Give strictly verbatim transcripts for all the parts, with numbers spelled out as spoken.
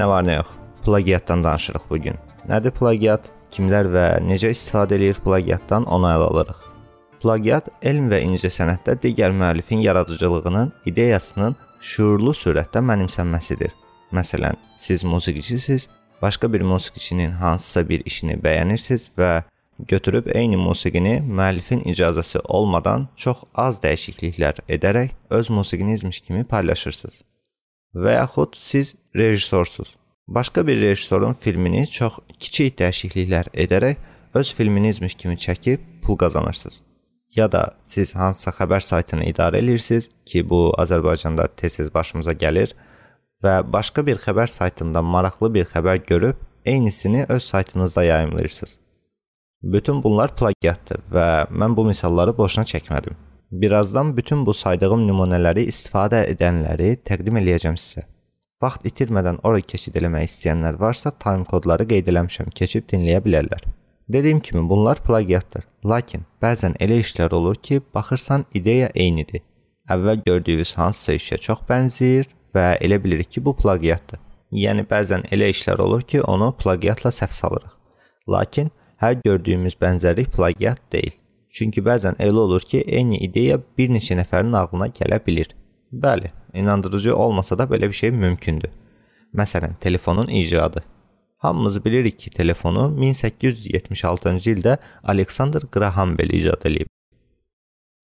Nə var nə yox, plagiatdan danışırıq bugün. Nədir plagiat? Kimlər və necə istifadə edir plagiatdan onu ələ alırıq. Plagiat elm və incəsənətdə digər müəllifin yaradıcılığının, ideyasının şuurlu surətdə mənimsənməsidir. Məsələn, siz musiqiçisiniz, başqa bir musiqiçinin hansısa bir işini bəyənirsiniz və götürüb eyni musiqini müəllifin icazəsi olmadan çox az dəyişikliklər edərək öz musiqinizmiş kimi paylaşırsınız. Və yaxud siz rejissorsuz. Başqa bir rejissorun filmini çox kiçik dəyişikliklər edərək öz filminizmiş kimi çəkib pul qazanırsınız. Ya da siz hansısa xəbər saytını idarə edirsiniz ki, bu Azərbaycanda tez-tez başımıza gəlir və başqa bir xəbər saytında maraqlı bir xəbər görüb eynisini öz saytınızda yayımlayırsınız. Bütün bunlar plagiatdır və mən bu misalları boşuna çəkmədim. Birazdan bütün bu saydığım nümunələri istifadə edənləri təqdim eləyəcəm sizə. Vaxt itirmədən oraya keçid eləmək istəyənlər varsa, time kodları qeyd eləmişəm, keçib dinləyə bilərlər. Dediyim kimi bunlar plagiatdır. Lakin bəzən elə işlər olur ki, baxırsan ideya eynidir. Əvvəl gördüyünüz hansısa işə çox bənzəyir və elə bilirik ki, bu plagiatdır. Yəni bəzən elə işlər olur ki, onu plagiatla səhv salırıq. Lakin hər gördüyümüz bənzərlik plagiat deyil. Çünki bəzən elə olur ki, eyni ideya bir neçə nəfərin ağlına gələ bilir. Bəli, inandırıcı olmasa da belə bir şey mümkündür. Məsələn, telefonun icadı. Hamımız bilirik ki, telefonu min səkkiz yüz yetmiş altıncı ildə Alexander Graham Bell icad edib.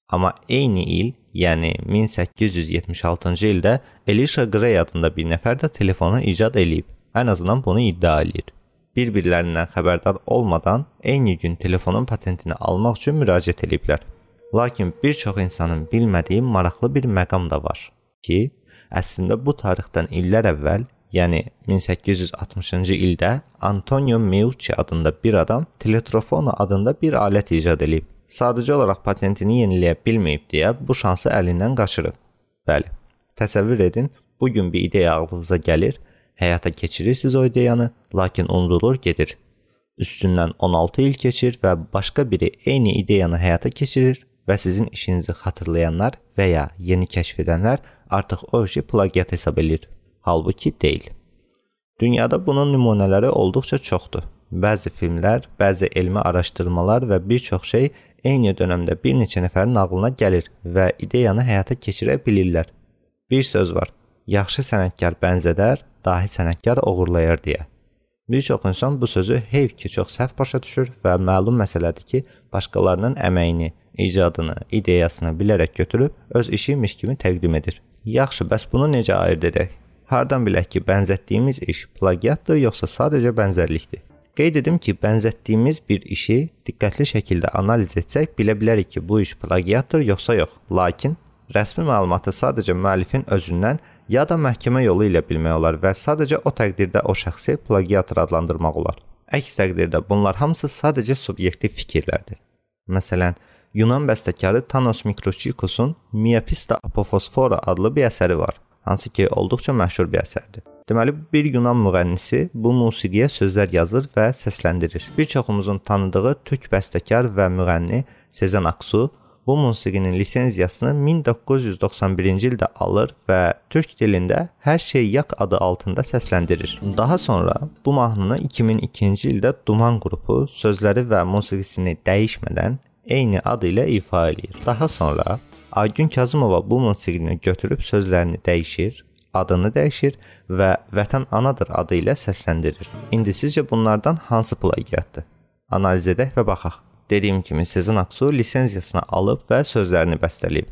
Amma eyni il, yəni min səkkiz yüz yetmiş altıncı ildə Elisha Gray adında bir nəfər də telefonu icad edib. Ən azından bunu iddia edir. Bir-birlərindən xəbərdar olmadan eyni gün telefonun patentini almaq üçün müraciət ediblər. Lakin bir çox insanın bilmədiyi maraqlı bir məqam da var ki, əslində bu tarixdən illər əvvəl, yəni min səkkiz yüz altmışıncı ildə Antonio Meucci adında bir adam teletrofona adında bir alət icad edib. Sadəcə olaraq patentini yeniləyə bilməyib deyə bu şansı əlindən qaçırıb. Bəli, təsəvvür edin, bugün bir ideya ağlınıza gəlir, həyata keçirirsiniz o ideyanı, lakin unudulur gedir. Üstündən on altı il keçir və başqa biri eyni ideyanı həyata keçirir və sizin işinizi xatırlayanlar və ya yeni kəşf edənlər artıq o işi plagiat hesab edir. Halbuki deyil. Dünyada bunun nümunələri olduqca çoxdur. Bəzi filmlər, bəzi elmi araşdırmalar və bir çox şey eyni dönəmdə bir neçə nəfərin ağlına gəlir və ideyanı həyata keçirə bilirlər. Bir söz var, yaxşı sənətkar bənzədər, dahi sənətkar oğurlayar deyə. Bir çox insan bu sözü heyf ki, çox səhv başa düşür və məlum məsələdir ki, başqalarının əməyini, icadını, ideyasını bilərək götürüb öz işiymiş kimi təqdim edir. Yaxşı, bəs bunu necə ayırd edək? Hardan bilək ki, bənzətdiyimiz iş plagiatdır, yoxsa sadəcə bənzərlikdir? Qeyd edim ki, bənzətdiyimiz bir işi diqqətli şəkildə analiz etsək, bilə bilərik ki, bu iş plagiatdır, yoxsa yox. Lakin rəsmi məlumatı sadəcə müəllifin özündən ya da məhkəmə yolu ilə bilmək olar və sadəcə o təqdirdə o şəxsi plagiatır adlandırmaq olar. Əks təqdirdə bunlar hamısı sadəcə subyektiv fikirlərdir. Məsələn, Yunan bəstəkarı Thanos Mikrochikosun Miapista Apofosfora adlı bir əsəri var, hansı ki, olduqca məşhur bir əsərdir. Deməli, bir Yunan müğənnisi bu musiqiyə sözlər yazır və səsləndirir. Bir çoxumuzun tanıdığı türk bəstəkar və müğənni Sezen Aksu bu musiqinin lisenziyasını min doqquz yüz doxsan birinci ildə alır və türk dilində Hər şey yak adı altında səsləndirir. Daha sonra bu mahnını iki min ikinci ildə Duman qrupu sözləri və musiqisini dəyişmədən eyni adı ilə ifa edir. Daha sonra Aygün Kazımova bu musiqini götürüb sözlərini dəyişir, adını dəyişir və Vətən anadır adı ilə səsləndirir. İndi sizcə bunlardan hansı plagiatdır? Analiz edək və baxaq. Dediyim kimi Sezen Aksu lisenziyasını alıb və sözlərini bəstələyib.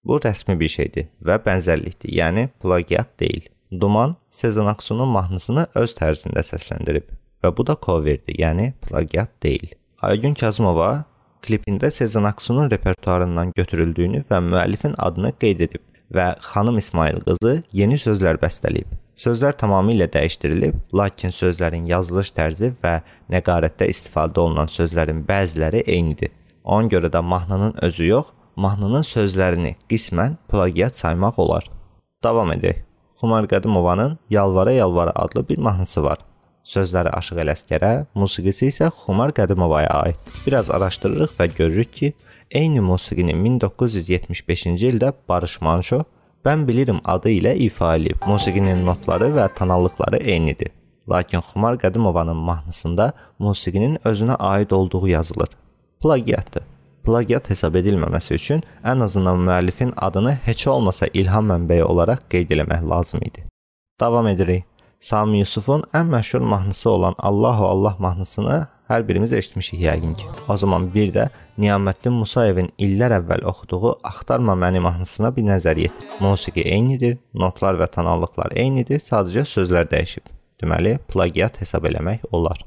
Bu rəsmi bir şeydir və bənzərlikdir, yəni plagiat deyil. Duman Sezen Aksu'nun mahnısını öz tərzində səsləndirib və bu da coverdir, yəni plagiat deyil. Aygün Kazımova klipində Sezen Aksu'nun repertuarından götürüldüyünü və müəllifin adını qeyd edib və Xanım İsmail qızı yeni sözlər bəstələyib. Sözlər tamamilə dəyişdirilib, lakin sözlərin yazılış tərzi və nəqarətdə istifadə olunan sözlərin bəziləri eynidir. Ona görə də mahnının özü yox, mahnının sözlərini qismən plagiat saymaq olar. Davam edək. Xumar Qədimovanın Yalvara Yalvara adlı bir mahnısı var. Sözləri Aşıq Ələsgərə, musiqisi isə Xumar Qədimovaya aid. Biraz araşdırırıq və görürük ki, eyni musiqini min doqquz yüz yetmiş beşinci ildə Barış Manço Mən bilirim adı ilə ifa edilib. Musiqinin notları və tonallıqları eynidir. Lakin Xumar Qədimovanın mahnısında musiqinin özünə aid olduğu yazılır. Plagiatdır. Plagiat hesab edilməməsi üçün ən azından müəllifin adını heç olmasa ilham mənbəyi olaraq qeyd eləmək lazım idi. Davam edirik. Sami Yusufun ən məşhur mahnısı olan Allahu Allah mahnısını hər birimiz eşitmişik yəqin ki. O zaman bir də Niyaməddin Musayevin illər əvvəl oxuduğu Axtarma məni mahnısına bir nəzər yetir. Musiqi eynidir, notlar və tonallıqlar eynidir, sadəcə sözlər dəyişib. Deməli, plagiat hesab eləmək olar.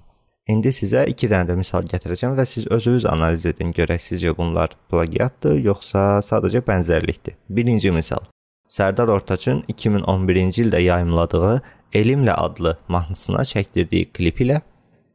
İndi sizə iki dənə də misal gətirəcəm və siz özünüz analiz edin, görək sizcə bunlar plagiatdır, yoxsa sadəcə bənzərlikdir. Birinci misal. Sərdar Ortaçın iki min on birinci ildə yayımladığı Elimlə adlı mahnısına çəkdirdiyi klip ilə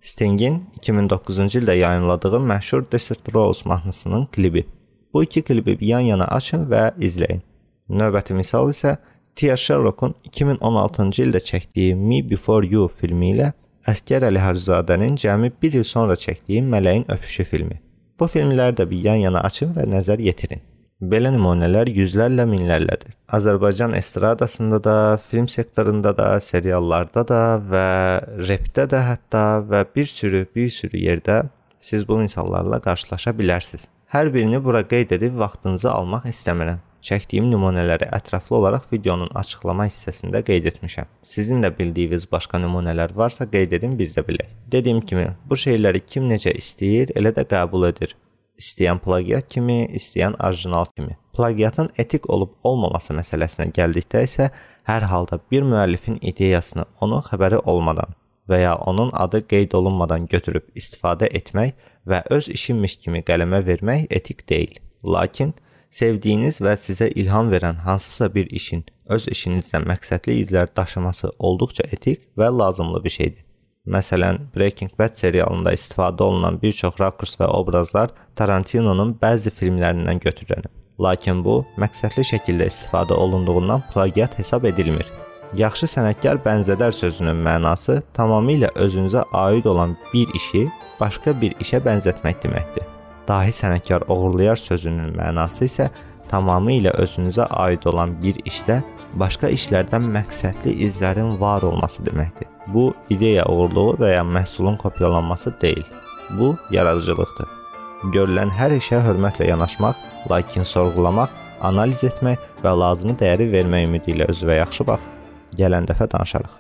Stingin iki min doqquzuncu ildə yayımladığı məşhur Desert Rose mahnısının klibi. Bu iki klibi yan-yana açın və izləyin. Növbəti misal isə Tia Sherlock'un iki min on altıncı ildə çəkdiyi Me Before You filmi ilə Əsgər Əli Hacızadənin cəmi bir il sonra çəkdiyi Mələyin Öpüşü filmi. Bu filmləri də bir yan-yana açın və nəzər yetirin. Belə nümunələr yüzlərlə minlərlədir. Azərbaycan estradasında da, film sektorunda da, seriallarda da və repdə də hətta və bir sürü, bir sürü yerdə siz bu misallarla qarşılaşa bilərsiniz. Hər birini bura qeyd edib vaxtınızı almaq istəmirəm. Çəkdiyim nümunələri ətraflı olaraq videonun açıqlama hissəsində qeyd etmişəm. Sizin də bildiyiniz başqa nümunələr varsa qeyd edin, biz də bilək. Dediyim kimi, bu şeyləri kim necə istəyir, elə də qəbul edir. İstəyən plagiat kimi, istəyən orijinal kimi. Plagiatın etik olub olmaması məsələsinə gəldikdə isə hər halda bir müəllifin ideyasını onun xəbəri olmadan və ya onun adı qeyd olunmadan götürüb istifadə etmək və öz işinmiş kimi qələmə vermək etik deyil. Lakin sevdiyiniz və sizə ilham verən hansısa bir işin öz işinizdən məqsədli izlər daşıması olduqca etik və lazımlı bir şeydir. Məsələn, Breaking Bad serialında istifadə olunan bir çox rakurs və obrazlar Tarantinonun bəzi filmlərindən götürülür. Lakin bu, məqsədli şəkildə istifadə olunduğundan plagiat hesab edilmir. Yaxşı sənətkar bənzədər sözünün mənası tamamilə özünüzə aid olan bir işi başqa bir işə bənzətmək deməkdir. Dahi sənətkar oğurlayar sözünün mənası isə tamamilə özünüzə aid olan bir işdə başqa işlərdən məqsədli izlərin var olması deməkdir. Bu, ideya uğurluğu və ya məhsulun kopyalanması deyil. Bu, yaradıcılıqdır. Görülən hər işə hörmətlə yanaşmaq, lakin sorğulamaq, analiz etmək və lazımi dəyəri vermək ümidi ilə özünə yaxşı bax. Gələn dəfə danışarıq.